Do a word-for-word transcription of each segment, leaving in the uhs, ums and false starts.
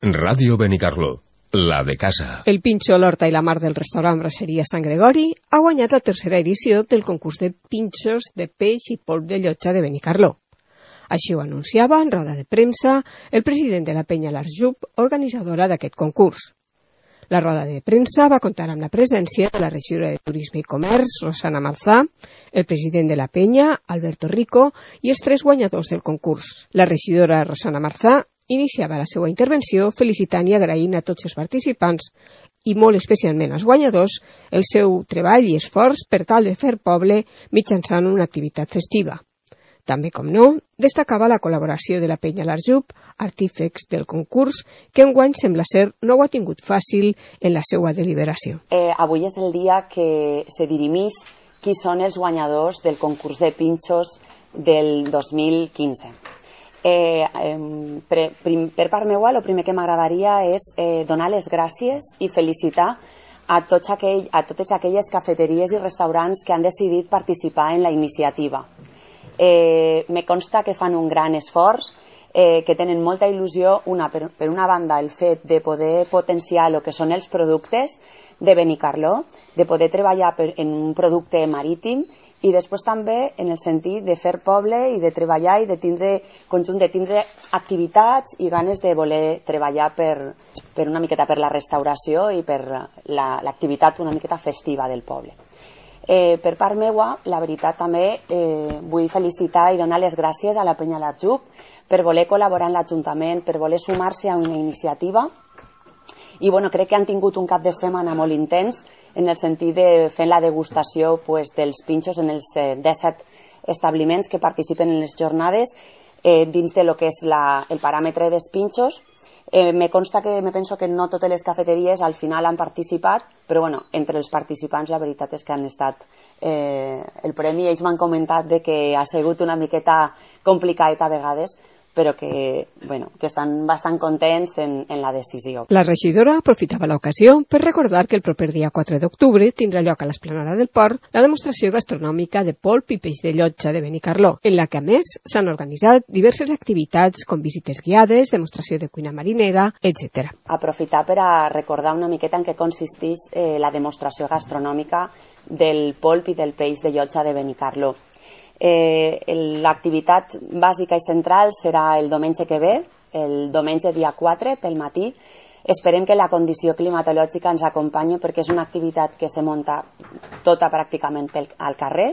Ràdio Benicarló, la de casa. El Pinxo, l'Horta i la Mar del restaurant Brasseria Sant Gregori ha guanyat la tercera edició del concurs de pinxos de peix i polp de llotja de Benicarló. Així ho anunciava en roda de premsa el president de la penya l'Arjup, organitzadora d'aquest concurs. La roda de premsa va comptar amb la presència de la regidora de Turisme i Comerç, Rosana Marzà, el president de la penya, Alberto Rico, i els tres guanyadors del concurs. La regidora Rosana Marzà iniciava la seva intervenció felicitant i agraint a tots els participants i molt especialment als guanyadors el seu treball i esforç per tal de fer poble mitjançant una activitat festiva. També, com no, destacava la col·laboració de la penya l'Arjup, artífex del concurs, que enguany sembla ser no ho ha tingut fàcil en la seva deliberació. Eh, avui és el dia que se dirimís qui són els guanyadors del concurs de pinxos del dos mil quinze. Eh, eh, per, per part meua, el primer que m'agradaria és eh, donar les gràcies i felicitar a, tots aquell, a totes aquelles cafeteries i restaurants que han decidit participar en la iniciativa. Eh, me consta que fan un gran esforç, eh, que tenen molta il·lusió, una, per, per una banda el fet de poder potenciar el que són els productes de Benicarló, de poder treballar per, en un producte marítim, i després també en el sentit de fer poble i de treballar i de tindre conjunt, de tindre activitats i ganes de voler treballar per, per una miqueta per la restauració i per l'activitat la, una miqueta festiva del poble. Eh, per part meua, la veritat també eh, vull felicitar i donar les gràcies a la penya l'Arjup per voler col·laborar en l'Ajuntament, per voler sumar-se a una iniciativa i bueno, crec que han tingut un cap de setmana molt intens en el sentit de fer la degustació pues, dels pinxos en els eh, disset establiments que participen en les jornades eh, dins de lo que és la, el paràmetre dels pinxos. Eh, me consta que me penso que no totes les cafeteries al final han participat, però bueno, entre els participants la veritat és que han estat eh, el premi. Ells m'han comentat de que ha sigut una miqueta complicat a vegades, però que, bueno, que estan bastant contents en, en la decisió. La regidora aprofitava l'ocasió per recordar que el proper dia quatre d'octubre tindrà lloc a l'Esplanada del Port la demostració gastronòmica de polp i peix de llotja de Benicarló, en la que a més s'han organitzat diverses activitats com visites guiades, demostració de cuina marinera, etcètera. Aprofitar per a recordar una miqueta en què consisteix eh, la demostració gastronòmica del polp i del peix de llotja de Benicarló. Eh, L'activitat bàsica i central serà el diumenge que ve, el diumenge dia quatre pel matí. Esperem que la condició climatològica ens acompanyi perquè és una activitat que se munta tota pràcticament pel, al carrer.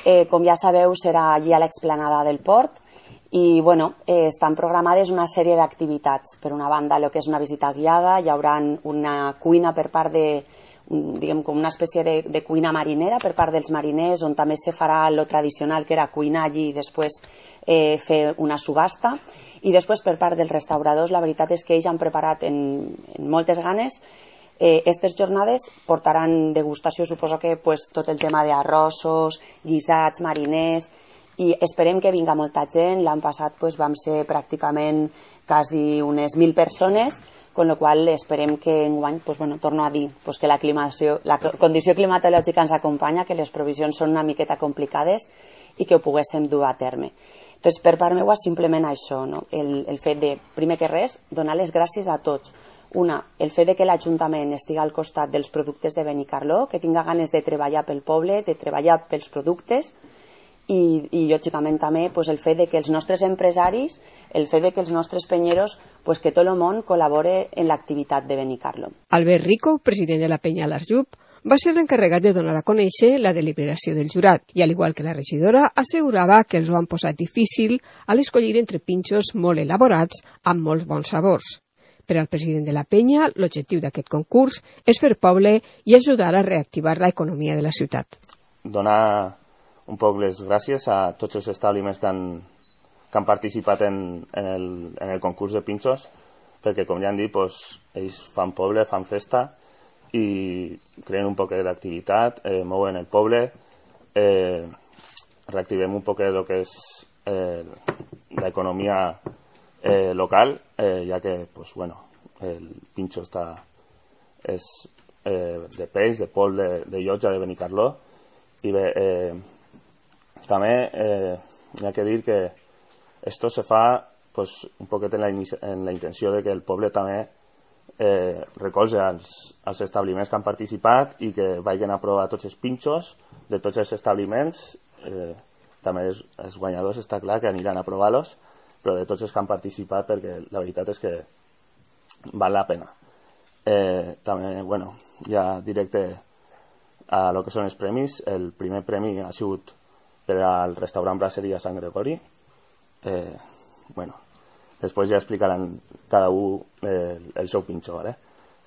Eh, com ja sabeu, serà allí a l'explanada del port i bueno, eh, estan programades una sèrie d'activitats. Per una banda, el que és una visita guiada, hi haurà una cuina per part de diguem com una espècie de, de cuina marinera per part dels mariners, on també se farà lo tradicional que era cuinar allí i després eh, fer una subhasta, i després per part dels restauradors la veritat és que ells han preparat en, en moltes ganes eh, aquestes jornades, portaran degustació, suposo que pues, tot el tema d'arrossos, guisats, mariners, i esperem que vinga molta gent. L'any passat pues, vam ser pràcticament quasi unes mil persones, con lo qual esperem que enguany, pues, bueno, torno a dir pues, que la, la condició climatològica ens acompanya, que les provisions són una miqueta complicades i que ho poguéssim dur a terme. Entonces, per part meva, simplement això, no? el, el fet de, primer que res, donar les gràcies a tots. Una, el fet de que l'Ajuntament estigui al costat dels productes de Benicarló, que tinga ganes de treballar pel poble, de treballar pels productes, i, i lògicament també pues, el fet de que els nostres empresaris, el fet de que els nostres penyeros, pues, que tot el món col·labore en l'activitat de Benicarló. Albert Rico, president de la penya l'Arjup, va ser l'encarregat de donar a conèixer la deliberació del jurat i, al igual que la regidora, assegurava que els ho han posat difícil a l'escollir entre pinxos molt elaborats amb molts bons sabors. Per al president de la penya, l'objectiu d'aquest concurs és fer poble i ajudar a reactivar l'economia de la ciutat. Donar un poc les gràcies a tots els establiments que han, que han participat en, en, el, en el concurs de pinxos, perquè, com ja han dit, pues, ells fan poble, fan festa i creen un poc d'activitat, eh, mouen el poble, eh, reactivem un poc el que és eh, l'economia eh, local, eh, ja que pues, bueno, el pinxo està, és eh, de peix, de polp, de, de llotja de Benicarló, i bé, eh, també eh, hi ha que dir que esto se fa pues, un poquet en la, en la intenció de que el poble també eh, recolze els, els establiments que han participat i que vagin a provar tots els pinxos de tots els establiments. Eh, també els, els guanyadors està clar que aniran a provar-los, però de tots els que han participat, perquè la veritat és que val la pena. Eh, també, bueno, ja directe a lo que són els premis. El primer premi ha sigut per al restaurant Brasseria Sant Gregori. Eh, bueno, després ja explicaran cada un eh, el seu pinxo, ¿vale?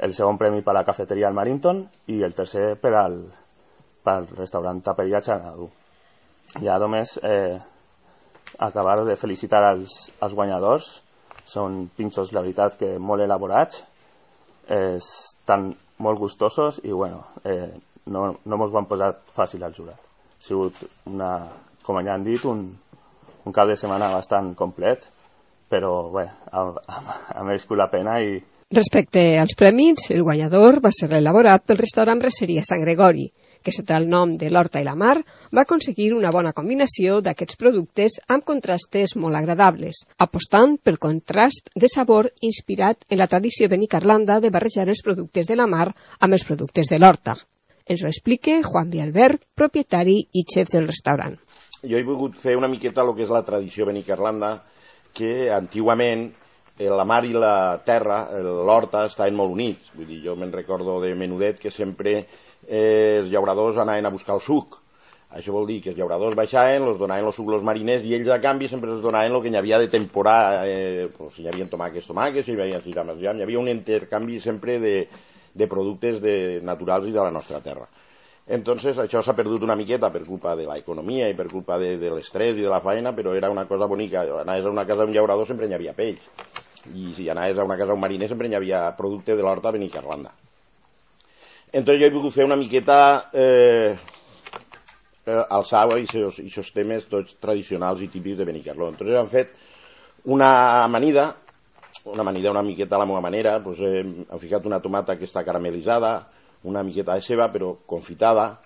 El segon premi per a la cafeteria al Marinton i el tercer per al, per al restaurant Taperia Xanadu. Ja només eh, acabar de felicitar als, als guanyadors. Són pinxos, la veritat, que molt elaborats, eh, estan molt gustosos i bueno, eh, no, no mos ho han posat fàcil al jurat. Ha sigut, una, com ja han dit, un, un cap de setmana bastant complet, però bé, ha, ha, ha merescut la pena. I respecte als premis, el guanyador va ser elaborat pel restaurant Brasseria Sant Gregori, que sota el nom de l'Horta i la Mar va aconseguir una bona combinació d'aquests productes amb contrastes molt agradables, apostant pel contrast de sabor inspirat en la tradició benicarlanda de barrejar els productes de la mar amb els productes de l'horta. Ens ho explica Juan Vialbert, propietari i xef del restaurant. Jo he volgut fer una miqueta el que és la tradició benicarlanda, que antigament la mar i la terra, l'horta, estaven molt units. Vull dir, jo me'n recordo de menudet que sempre eh, els llauradors anaven a buscar el suc. Això vol dir que els llauradors baixaven, els donaven el suc als mariners i ells a canvi sempre els donaven el que hi havia de temporada, eh, pues, si hi havia tomàquets, tomàquets, si hi havia cireres, hi havia un intercanvi sempre de, de productes de, naturals i de la nostra terra. Entonces això s'ha perdut una miqueta per culpa de l'economia i per culpa de, de l'estrès i de la feina, però era una cosa bonica. Anaves a una casa d'un llaurador sempre hi havia peix, i si anaves a una casa d'un mariner sempre hi havia producte de l'horta benicarlanda. Entonces jo he volgut fer una miqueta eh, eh, alçar aquests temes tots tradicionals i típics de Benicarló. Entonces han fet una amanida, una amanida una miqueta a la meva manera, pues, eh, han ficat una tomata que està caramelitzada, una miqueta de ceba però confitada,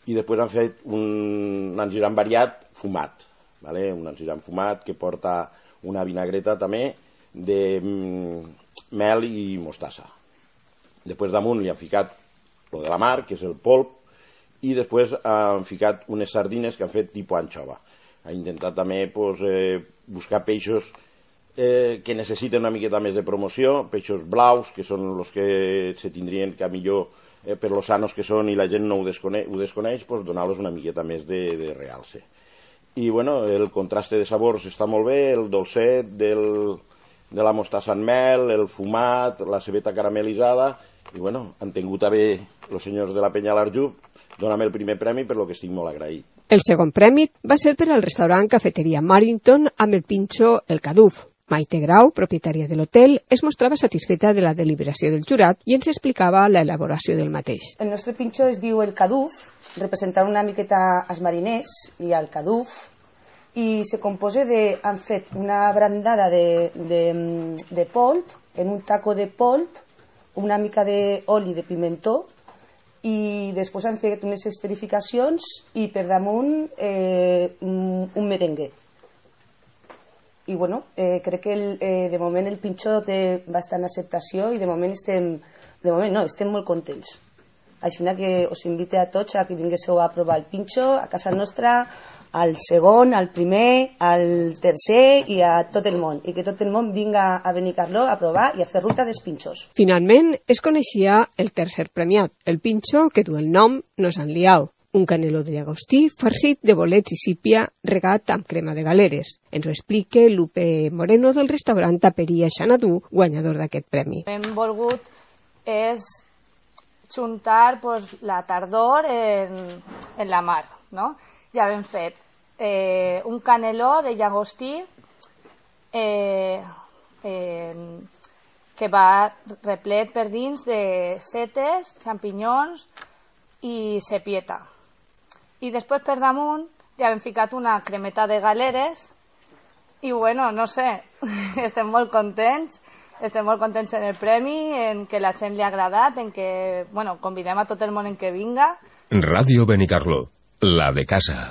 i després han fet un engiran variat fumat, ¿vale? Un engiran fumat que porta una vinagreta també de mm, mel i mostassa. Després damunt li han ficat lo de la mar, que és el polp, i després han ficat unes sardines que han fet tipus anxova. Ha intentat també pues, eh, buscar peixos eh, que necessiten una miqueta més de promoció, peixos blaus, que són els que se tindrien que millor eh, per los sanos que són i la gent no ho desconeix, ho desconeix pues, donar-los una miqueta més de, de realce. I bueno, el contraste de sabors està molt bé, el dolcet del, de la mostassa en mel, el fumat, la cebeta caramelitzada, i bueno, han tingut a bé els senyors de la Penya l'Arjub donar-me el primer premi, per lo que estic molt agraït. El segon premi va ser per al restaurant Cafeteria Marinton amb el pinxo El Caduf. Maite Grau, propietària de l'hotel, es mostrava satisfeta de la deliberació del jurat i ens explicava l'elaboració del mateix. El nostre pinxo es diu El Caduf, representant una miqueta als mariners i al Caduf, i se compose de, han fet una brandada de, de, de polp, en un taco de polp, una mica d'oli de pimentó, i després han fet unes esferificacions i per damunt eh, un merengue. I bueno, eh, crec que el, eh, de moment el pinxo té bastant acceptació i de moment estem, de moment no, estem molt contents. Així que us invite a tots a que vinguéssiu a provar el pinxo a casa nostra, al segon, al primer, al tercer i a tot el món. I que tot el món vinga a Benicarló a provar i a fer ruta dels pinxos. Finalment es coneixia el tercer premiat, el pinxo que du el nom No s'han liau, un caneló de llagostí farcit de bolets i sípia regat amb crema de galeres. Ens ho explica Lupe Moreno del restaurant Taperia Xanadu, guanyador d'aquest premi. Hem volgut és juntar pues, la tardor en, en la mar, no? Ja hem fet eh, un caneló de llagostí eh, eh, que va replet per dins de setes, xampinyons i sepieta. I després per damunt ja hem ficat una cremeta de galeres i bueno, no sé, estem molt contents, estem molt contents en el premi, en que la gent li ha agradat, en que, bueno, convidem a tot el món en que vinga. Ràdio Benicarló, la de casa.